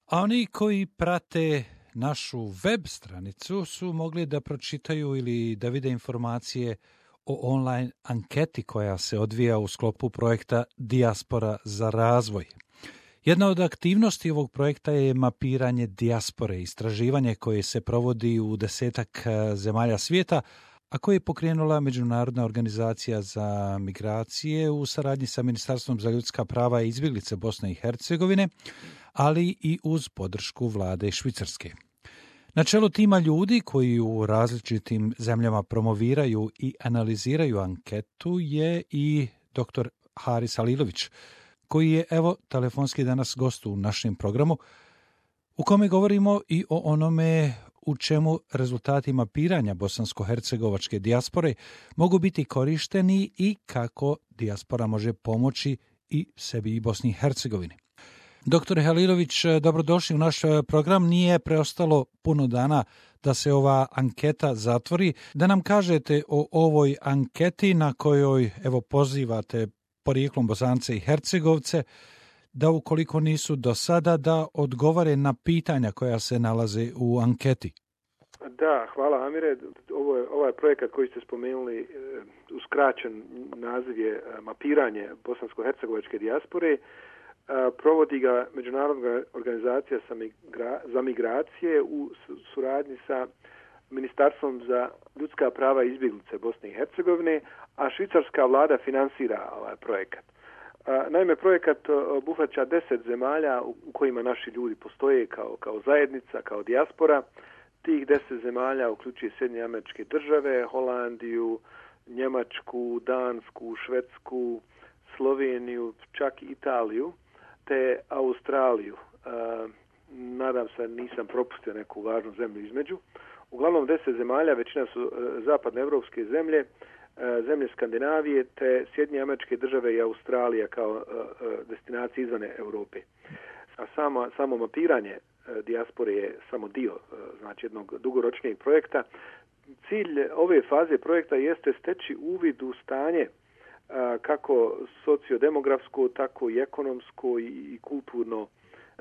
A oni koji prate našu web stranicu su mogli da pročitaju ili da vide informacije o online anketi koja se odvija u sklopu projekta Dijaspora za razvoj. Jedna od aktivnosti ovog projekta je mapiranje dijaspore, istraživanje koje se provodi u 10 zemalja svijeta, a koje je pokrenula Međunarodna organizacija za migracije u saradnji sa Ministarstvom za ljudska prava i izbjeglice Bosne i Hercegovine, ali i uz podršku vlade Švicarske. Na čelu tima ljudi koji u različitim zemljama promoviraju i analiziraju anketu je i dr. Haris Halilović, koji je telefonski danas gost u našem programu, u kome govorimo i o onome u čemu rezultati mapiranja bosansko-hercegovačke dijaspore mogu biti korišteni i kako dijaspora može pomoći i sebi i Bosni i Hercegovini. Doktore Halilović, dobrodošli u naš program. Nije preostalo puno dana da se ova anketa zatvori. Da nam kažete o ovoj anketi na kojoj pozivate porijeklom Bosance i Hercegovce da ukoliko nisu do sada da odgovore na pitanja koja se nalaze u anketi. Da, hvala Amire. Ovaj projekat koji ste spomenuli, uskraćen naziv je mapiranje bosansko-hercegovačke dijaspore. Provodi ga Međunarodna organizacija za migracije u suradnji sa Ministarstvom za ljudska prava i izbjeglice Bosne i Hercegovine, a švicarska vlada finansira ovaj projekat. Naime, projekat obuhvaća 10 zemalja u kojima naši ljudi postoje kao zajednica, kao dijaspora. Tih 10 zemalja uključuje Sjedinjene Američke Države, Holandiju, Njemačku, Dansku, Švedsku, Sloveniju, čak i Italiju, te Australiju. Nadam se nisam propustio neku važnu zemlju između. Uglavnom 10 zemalja, većina su zapadnoevropske zemlje, zemlje Skandinavije, te Sjedinjene Američke Države i Australija kao destinacije izvan Europe. A samo mapiranje dijaspore je samo dio, znači jednog dugoročnijeg projekta. Cilj ove faze projekta jeste steći uvid u stanje kako sociodemografsko, tako i ekonomsko i kulturno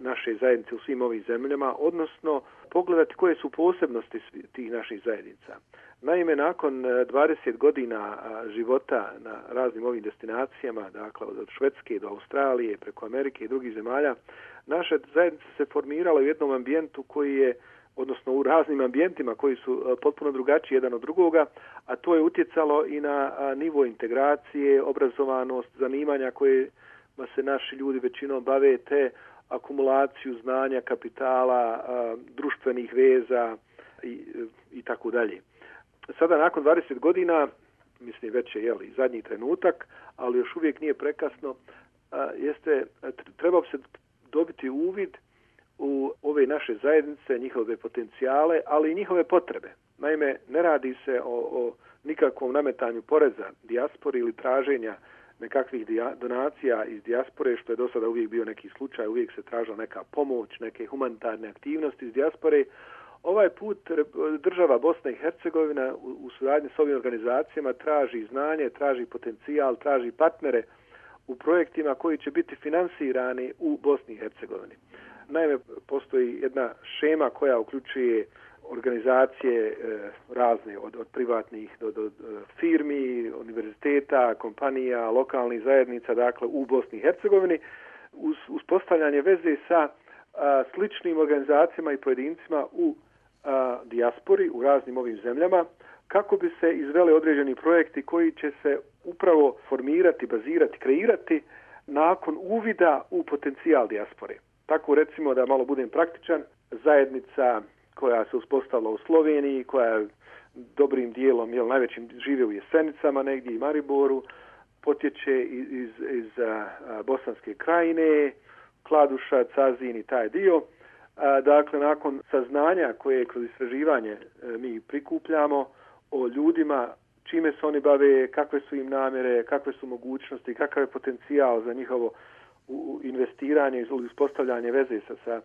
naše zajednice u svim ovim zemljama, odnosno pogledati koje su posebnosti tih naših zajednica. Naime, nakon 20 godina života na raznim ovim destinacijama, dakle od Švedske do Australije, preko Amerike i drugih zemalja, naša zajednica se formirala u jednom ambijentu koji je, odnosno u raznim ambijentima koji su potpuno drugačiji jedan od drugoga, a to je utjecalo i na nivo integracije, obrazovanost, zanimanja koje se naši ljudi većinom bave, te akumulaciju znanja, kapitala, društvenih veza i tako dalje. Sada nakon 20 godina, mislim već je zadnji trenutak, ali još uvijek nije prekasno, treba se dobiti uvid u ove naše zajednice, njihove potencijale, ali i njihove potrebe. Naime, ne radi se o nikakvom nametanju poreza dijaspori ili traženja nekakvih donacija iz dijaspore, što je do sada uvijek bio neki slučaj, uvijek se tražila neka pomoć, neke humanitarne aktivnosti iz dijaspore. Ovaj put država Bosna i Hercegovina u suradnji s ovim organizacijama traži znanje, traži potencijal, traži partnere u projektima koji će biti finansirani u Bosni i Hercegovini. Naime, postoji jedna šema koja uključuje organizacije razne, od privatnih do firmi, univerziteta, kompanija, lokalnih zajednica, dakle u Bosni i Hercegovini, uz uspostavljanje veze sa sličnim organizacijama i pojedincima u dijaspori, u raznim ovim zemljama, kako bi se izveli određeni projekti koji će se upravo formirati, bazirati, kreirati nakon uvida u potencijal dijaspore. Tako recimo, da malo budem praktičan, zajednica koja se uspostavila u Sloveniji, koja dobrim dijelom, najvećim žive u Jesenicama, negdje i Mariboru, potječe iz Bosanske krajine, Kladuša, Cazin i taj dio. Dakle, nakon saznanja koje kroz istraživanje mi prikupljamo o ljudima, čime se oni bave, kakve su im namjere, kakve su mogućnosti, kakav je potencijal za njihovo investiranje ili uspostavljanje veze sa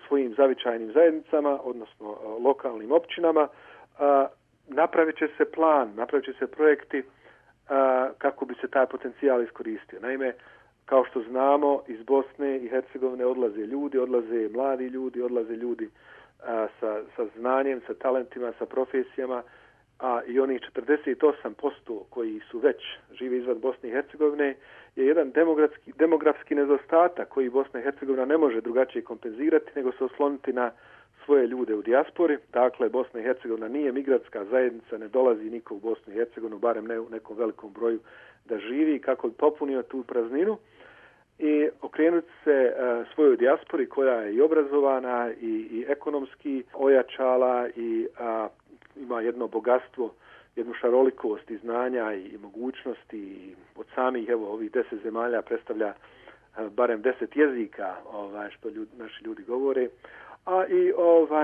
svojim zavičajnim zajednicama, odnosno lokalnim općinama, napravit će se plan, napravit će se projekti kako bi se taj potencijal iskoristio. Naime, Kao što znamo, iz Bosne i Hercegovine odlaze mladi ljudi, odlaze ljudi sa znanjem, sa talentima, sa profesijama, a i onih 48% koji su već žive izvan Bosne i Hercegovine je jedan demografski nedostatak koji Bosna i Hercegovina ne može drugačije kompenzirati nego se osloniti na svoje ljude u dijaspori. Dakle, Bosna i Hercegovina nije migrantska zajednica, ne dolazi niko u Bosnu i Hercegovinu, barem ne u nekom velikom broju da živi, kako bi popunio tu prazninu i okrenuti se svojoj dijaspori koja je i obrazovana i ekonomski ojačala i ima jedno bogatstvo, jednu šarolikost i znanja i mogućnosti i od samih ovih 10 zemalja predstavlja barem 10 jezika što naši ljudi govore, a i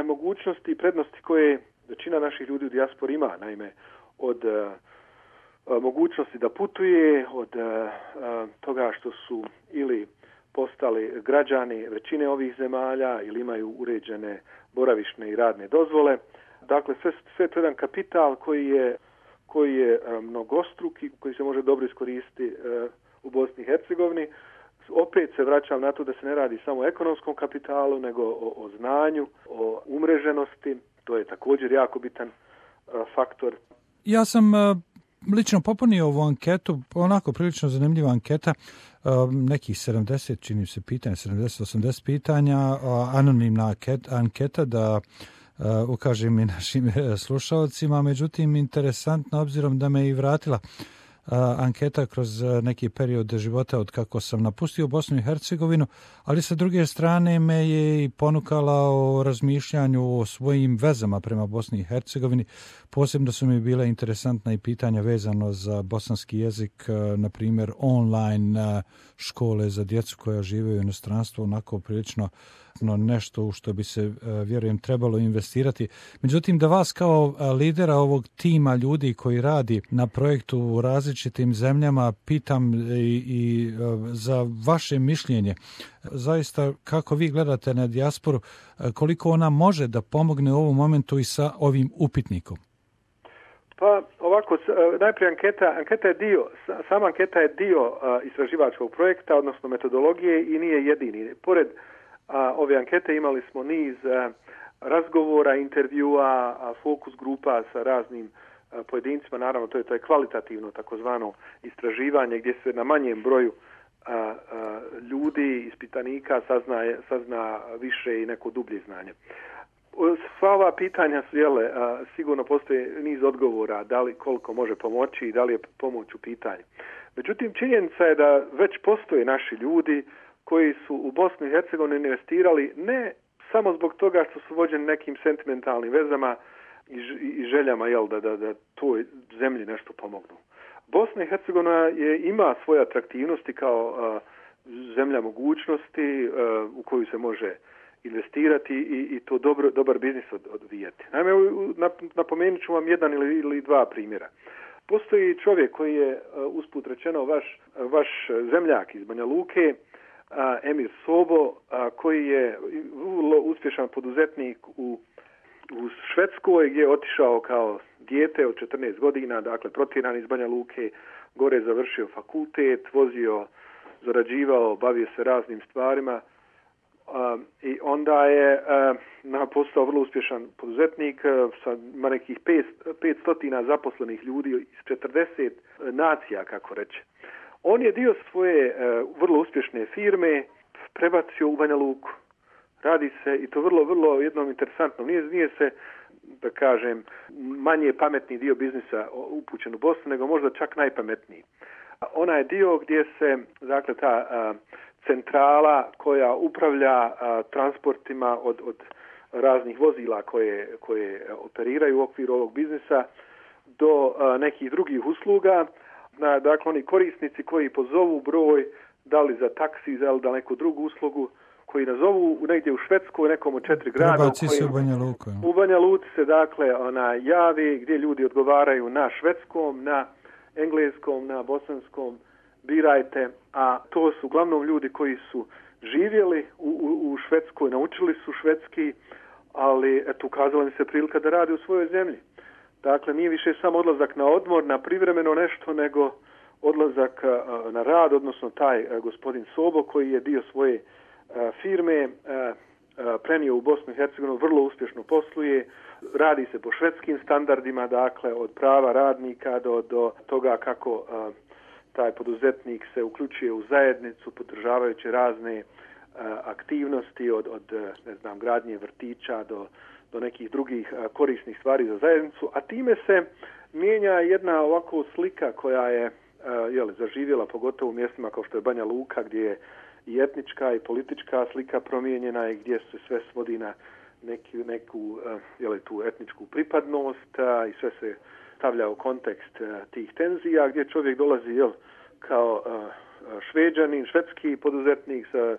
mogućnosti i prednosti koje većina naših ljudi u dijaspori ima, naime od mogućnosti da putuje, od toga što su ili postali građani većine ovih zemalja ili imaju uređene boravišne i radne dozvole. Dakle, sve to je jedan kapital koji je mnogostruki, koji se može dobro iskoristiti u Bosni i Hercegovini. Opet se vraćam na to da se ne radi samo o ekonomskom kapitalu, nego o znanju, o umreženosti. To je također jako bitan faktor. Ja sam lično popunio ovu anketu, onako prilično zanimljiva anketa, nekih 70, čini se pitanja, 70-80 pitanja, anonimna anketa da ukažem i našim slušalcima, međutim interesantno obzirom da me i vratila anketa kroz neki period života od kako sam napustio Bosnu i Hercegovinu, ali sa druge strane me je i ponukala o razmišljanju o svojim vezama prema Bosni i Hercegovini. Posebno su mi bile interesantna i pitanja vezano za bosanski jezik, na primjer online škole za djecu koja žive u inostranstvu, onako prilično nešto u što bi se, vjerujem, trebalo investirati. Međutim, da vas kao lidera ovog tima ljudi koji radi na projektu u različitim zemljama pitam i za vaše mišljenje. Zaista, kako vi gledate na dijasporu, koliko ona može da pomogne u ovom momentu i sa ovim upitnikom? Pa ovako, najprije anketa je dio, sama anketa je dio istraživačkog projekta, odnosno metodologije i nije jedini. Pored ove ankete imali smo niz razgovora, intervjua, fokus grupa sa raznim pojedincima. Naravno, to je kvalitativno takozvano istraživanje gdje se na manjem broju ljudi, ispitanika sazna više i neko dublje znanje. Sva ova pitanja su, sigurno postoji niz odgovora, da li koliko može pomoći i da li je pomoć u pitanju. Međutim, činjenica je da već postoje naši ljudi koji su u Bosnu i Hercegovini investirali ne samo zbog toga što su vođeni nekim sentimentalnim vezama i željama da toj zemlji nešto pomognu. Bosna i Hercegovina ima svoje atraktivnosti kao zemlja mogućnosti u koju se može investirati i to dobar biznis odvijati. Naime, napomenut ću vam jedan ili dva primjera. Postoji čovjek koji je, usput rečeno, vaš zemljak iz Banja Luke, Emir Sobo, koji je vrlo uspješan poduzetnik u Švedskoj, gdje je otišao kao dijete od 14 godina, dakle protjeran iz Banja Luke, gore završio fakultet, zarađivao, bavio se raznim stvarima i onda je postao vrlo uspješan poduzetnik, ima nekih 500 zaposlenih ljudi iz 40 nacija, kako reče. On je dio svoje vrlo uspješne firme prebacio u Banja Luku. Radi se, i to vrlo jednom interesantno, nije se, da kažem, manje pametni dio biznisa upućen u Bosnu, nego možda čak najpametniji. Ona je dio gdje se, dakle, ta centrala koja upravlja transportima od raznih vozila koje operiraju u okviru ovog biznisa do nekih drugih usluga. Dakle, oni korisnici koji pozovu broj, da li za taksi, da li da neku drugu uslugu, koji nazovu negdje u Švedskoj, nekom od 4 grada. U Banja Luci se, dakle, javi gdje ljudi odgovaraju na švedskom, na engleskom, na bosanskom, birajte, a to su uglavnom ljudi koji su živjeli u Švedskoj, naučili su švedski, ali ukazala mi se prilika da rade u svojoj zemlji. Dakle, nije više samo odlazak na odmor, na privremeno nešto, nego odlazak na rad, odnosno taj gospodin Sobo koji je dio svoje firme prenio u Bosnu i Hercegovinu, vrlo uspješno posluje, radi se po švedskim standardima, dakle od prava radnika do toga kako taj poduzetnik se uključuje u zajednicu podržavajući razne aktivnosti od gradnje vrtića do nekih drugih korisnih stvari za zajednicu, a time se mijenja jedna ovako slika koja je zaživjela pogotovo u mjestima kao što je Banja Luka gdje je i etnička i politička slika promijenjena i gdje se sve svodi na neku tu etničku pripadnost i sve se stavlja u kontekst tih tenzija gdje čovjek dolazi kao Šveđanin, švedski poduzetnik sa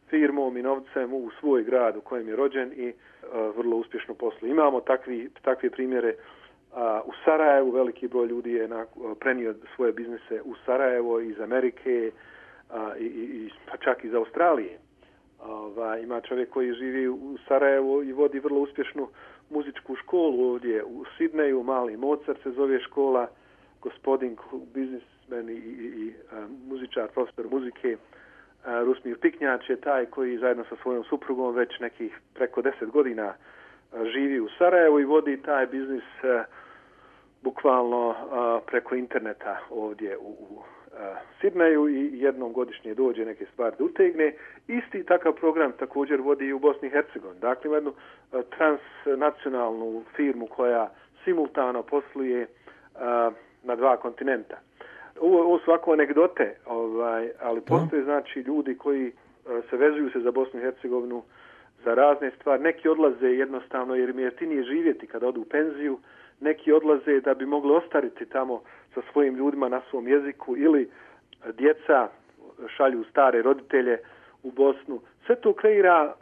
firmom i novcem u svoj grad u kojem je rođen i vrlo uspješno posluje. Imamo takve primjere u Sarajevu, veliki broj ljudi je prenio svoje biznise u Sarajevo iz Amerike i pa čak iz Australije. Ima čovjek koji živi u Sarajevu i vodi vrlo uspješnu muzičku školu ovdje u Sidneju, Mali Mozart se zove škola, gospodin biznismen i muzičar, profesor muzike Rusmir Piknjač je taj koji zajedno sa svojom suprugom već nekih preko 10 godina živi u Sarajevu i vodi taj biznis bukvalno preko interneta ovdje u Sidneju i jednom godišnje dođe neke stvari da utegne. Isti takav program također vodi i u Bosni i Hercegovini. Dakle, ima jednu transnacionalnu firmu koja simultano posluje na 2 kontinenta. Ovo su ovako anegdote, ali postoje znači ljudi koji se vezuju se za Bosnu i Hercegovinu za razne stvari. Neki odlaze jednostavno jer im je jeftinije živjeti kada odu u penziju, neki odlaze da bi mogli ostariti tamo sa svojim ljudima na svom jeziku ili djeca šalju stare roditelje u Bosnu. Sve to kreira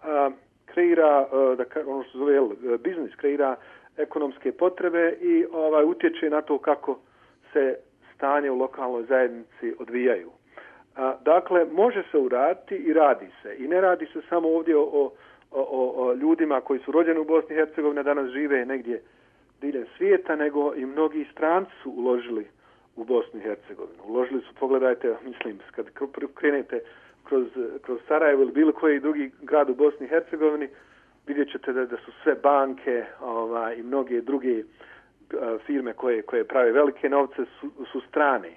ono što zove biznis, kreira ekonomske potrebe i utječe na to kako se stanje u lokalnoj zajednici odvijaju. Dakle, može se uraditi i radi se. I ne radi se samo ovdje o ljudima koji su rođeni u Bosni i Hercegovini, danas žive negdje diljem svijeta, nego i mnogi stranci su uložili u Bosnu i Hercegovinu. Uložili su, pogledajte, mislim, kad krenete kroz Sarajevo ili bilo koji drugi grad u Bosni i Hercegovini, vidjet ćete da su sve banke i mnoge druge firme koje prave velike novce su strane.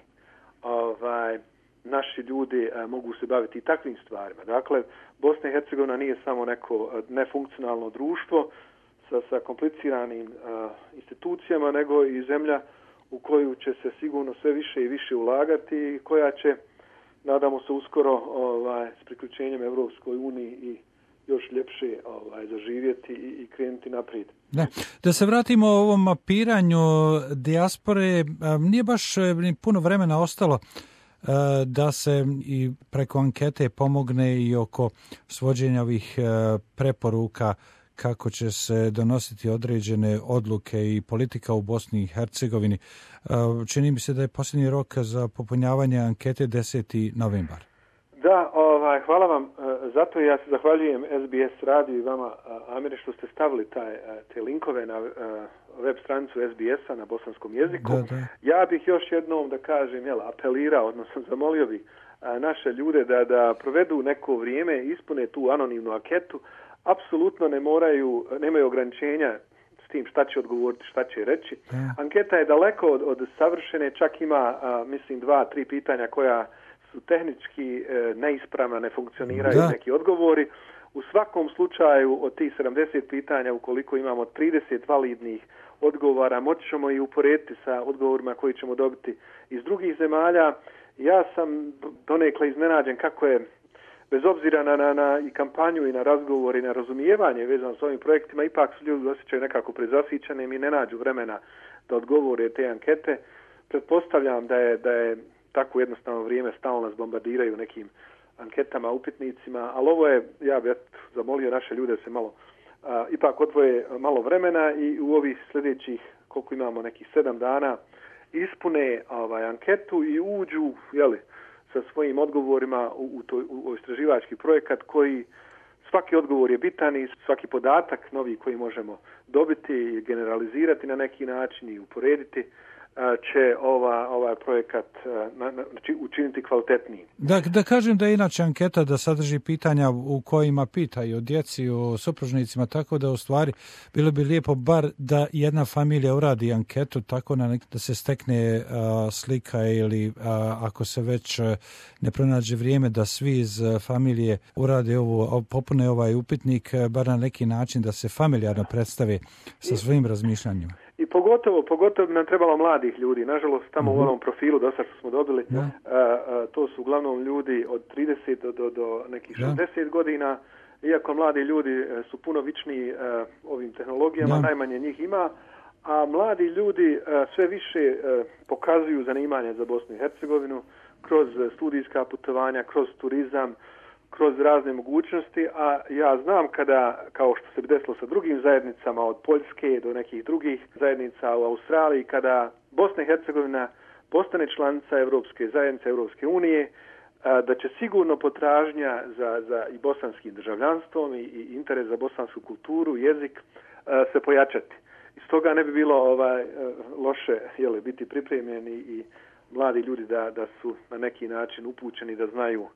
Naši ljudi mogu se baviti i takvim stvarima. Dakle, Bosna i Hercegovina nije samo neko nefunkcionalno društvo sa kompliciranim institucijama, nego i zemlja u koju će se sigurno sve više i više ulagati i koja će, nadamo se, uskoro s priključenjem Europskoj uniji i još ljepše zaživjeti i krenuti naprijed. Ne. Da se vratimo o ovom mapiranju dijaspore, nije baš puno vremena ostalo da se i preko ankete pomogne i oko svođenja ovih preporuka kako će se donositi određene odluke i politika u Bosni i Hercegovini. Čini mi se da je posljednji rok za popunjavanje ankete 10. novembar. Da, hvala vam. Zato ja se zahvaljujem SBS radiju i vama, Amire, što ste stavili te linkove na web stranicu SBS-a na bosanskom jeziku. Da. Ja bih još jednom da kažem, apelirao, odnosno zamolio bih naše ljude da provedu neko vrijeme, ispune tu anonimnu anketu. Apsolutno nemaju ograničenja s tim šta će odgovoriti, šta će reći. Anketa je daleko od savršene, čak ima, mislim, 2-3 pitanja koja su tehnički neispravna, ne funkcioniraju neki odgovori. U svakom slučaju od tih 70 pitanja, ukoliko imamo 30 validnih odgovora, moći ćemo i uporediti sa odgovorima koji ćemo dobiti iz drugih zemalja. Ja sam donekle iznenađen kako je, bez obzira na i kampanju i na razgovor i na razumijevanje vezano s ovim projektima, ipak su ljudi osjećaju nekako prezasićenim i ne nađu vremena da odgovore te ankete. Pretpostavljam da je tako jednostavno vrijeme, stalno nas bombardiraju nekim anketama, upitnicima, ali ovo je, ja bih zamolio naše ljude da se malo ipak odvoje malo vremena i u ovih sljedećih, koliko imamo, nekih 7 dana, ispune anketu i uđu, sa svojim odgovorima u istraživački projekat koji, svaki odgovor je bitan i svaki podatak novi koji možemo dobiti i generalizirati na neki način i uporediti će ovaj projekat učiniti kvalitetnijim. Da kažem da je inače anketa da sadrži pitanja u kojima pitaju o djeci, o supružnicima, tako da u stvari bilo bi lijepo bar da jedna familija uradi anketu tako da se stekne slika ili ako se već ne pronađe vrijeme da svi iz familije urade popune ovaj upitnik, bar na neki način da se familijarno predstave sa svojim razmišljanjima. I pogotovo bi nam trebalo mladih ljudi. Nažalost, tamo u ovom profilu dosta što smo dobili, to su uglavnom ljudi od 30 do nekih 60 godina. Iako mladi ljudi su puno vičniji ovim tehnologijama, najmanje njih ima, a mladi ljudi sve više pokazuju zanimanje za Bosnu i Hercegovinu kroz studijska putovanja, kroz turizam, kroz razne mogućnosti, a ja znam kada, kao što se desilo sa drugim zajednicama, od Poljske do nekih drugih zajednica u Australiji, kada Bosna i Hercegovina postane članica Europske zajednice, Europske unije, da će sigurno potražnja za i bosanskim državljanstvom i interes za bosansku kulturu, jezik se pojačati. I stoga ne bi bilo loše biti pripremljeni i mladi ljudi da su na neki način upućeni, da znaju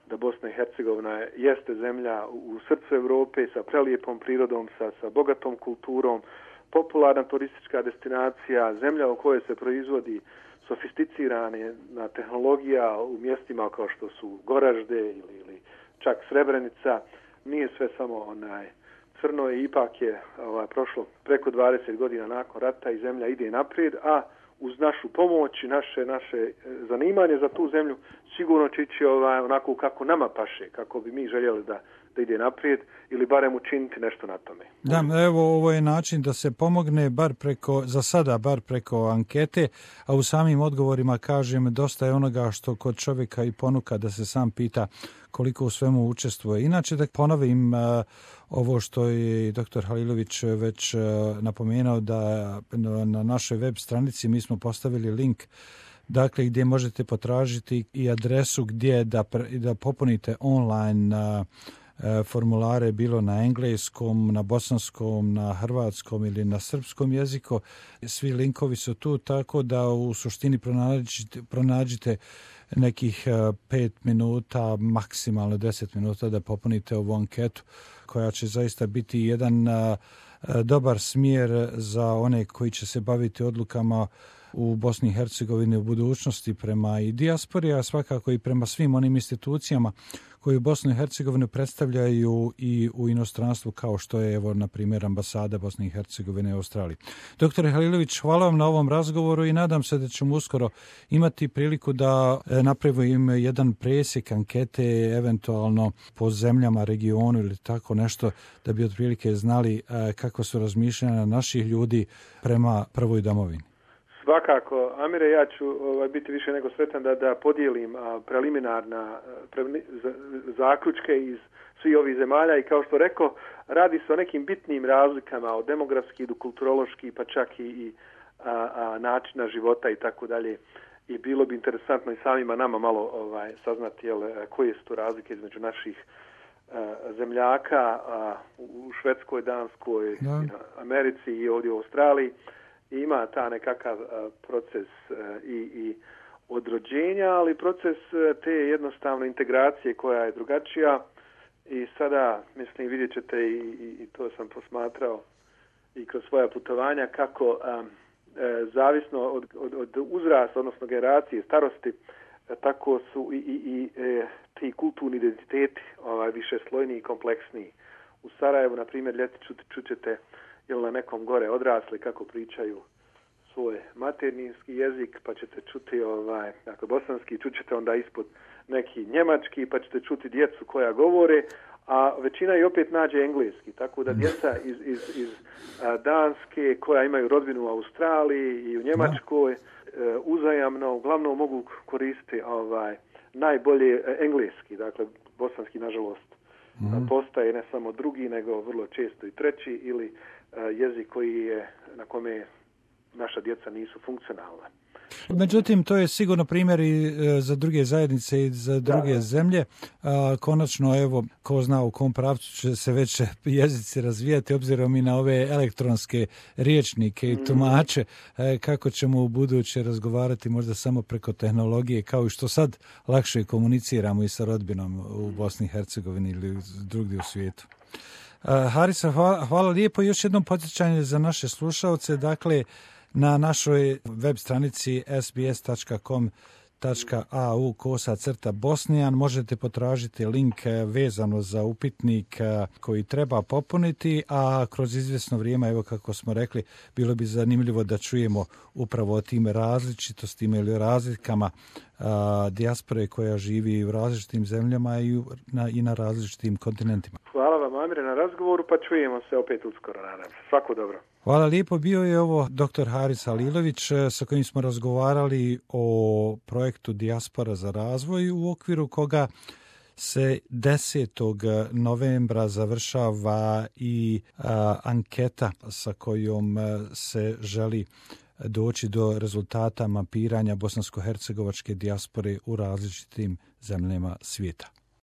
da Bosna i Hercegovina jeste zemlja u srcu Europe sa prelijepom prirodom, sa bogatom kulturom, popularna turistička destinacija, zemlja u kojoj se proizvodi sofisticirana tehnologija u mjestima kao što su Goražde ili čak Srebrenica. Nije sve samo crno i ipak je prošlo preko 20 godina nakon rata i zemlja ide naprijed, a uz našu pomoć i naše zanimanje za tu zemlju sigurno će ići onako kako nama paše, kako bi mi željeli da ide naprijed ili barem učiniti nešto na tome. Da, evo ovo je način da se pomogne za sada bar preko ankete, a u samim odgovorima kažem dosta je onoga što kod čovjeka i ponuka da se sam pita koliko u svemu učestvuje. Inače da ponovim ovo što je dr. Halilović već napomenuo da na našoj web stranici mi smo postavili link gdje možete potražiti i adresu gdje da popunite online formulare bilo na engleskom, na bosanskom, na hrvatskom ili na srpskom jeziku. Svi linkovi su tu tako da u suštini pronađite nekih 5 minuta, maksimalno 10 minuta da popunite ovu anketu koja će zaista biti jedan dobar smjer za one koji će se baviti odlukama u Bosni i Hercegovini u budućnosti prema i dijaspori, a svakako i prema svim onim institucijama koji Bosnu i Hercegovinu predstavljaju i u inostranstvu kao što je, na primjer, ambasada Bosne i Hercegovine u Australiji. Doktore Halilović, hvala vam na ovom razgovoru i nadam se da ćemo uskoro imati priliku da napravimo jedan presjek ankete, eventualno po zemljama, regionu ili tako nešto, da bi otprilike znali kako su razmišljanja naših ljudi prema prvoj domovini. Svakako, Amire, ja ću biti više nego sretan da podijelim preliminarna zaključke iz svih ovih zemalja i kao što rekao, radi se o nekim bitnim razlikama od demografski do kulturološki, pa čak i načina života i tako dalje. I bilo bi interesantno i samima nama malo saznati koje su to razlike između naših zemljaka u Švedskoj, Danskoj, Americi i ovdje u Australiji. Ima ta nekakav proces i odrođenja, ali proces te jednostavno integracije koja je drugačija i sada, mislim, vidjet ćete i to sam posmatrao i kroz svoja putovanja kako zavisno od uzrasta, odnosno generacije, starosti, tako su i ti kulturni identiteti više slojniji i kompleksniji. U Sarajevu, na primjer, ljeti čućete ili na nekom gore odrasli kako pričaju svoj materinski jezik, pa ćete čuti dakle bosanski, čućete onda ispod neki njemački, pa ćete čuti djecu koja govore, a većina i opet nađe engleski, tako da djeca iz Danske koja imaju rodbinu u Australiji i u Njemačkoj uzajamno uglavnom mogu koristiti najbolje engleski, dakle bosanski nažalost postaje ne samo drugi, nego vrlo često i treći ili jezik koji na kome naša djeca nisu funkcionalna. Međutim, to je sigurno primjer i za druge zajednice i za druge zemlje. Konačno, evo, ko zna u kom pravcu će se već jezici razvijati, obzirom i na ove elektronske riječnike i tumače, kako ćemo u buduće razgovarati možda samo preko tehnologije, kao i što sad lakše komuniciramo i sa rodbinom u Bosni i Hercegovini ili drugdje u svijetu. Harisa, hvala lijepo. Još jednom podsjećanje za naše slušalce, dakle, na našoj web stranici sbs.com.au/Bosnijan možete potražiti link vezano za upitnik koji treba popuniti, a kroz izvjesno vrijeme, evo kako smo rekli, bilo bi zanimljivo da čujemo upravo o tim različitostima ili razlikama dijaspore koja živi u različitim zemljama i na različitim kontinentima. Hvala vam, Amire, na razgovoru, pa čujemo se opet uskoro, nadam se. Svako dobro. Hvala lijepo. Bio je ovo dr. Haris Halilović sa kojim smo razgovarali o projektu Dijaspora za razvoj, u okviru koga se 10. novembra završava i anketa sa kojom se želi doći do rezultata mapiranja bosansko-hercegovačke dijaspore u različitim zemljama svijeta.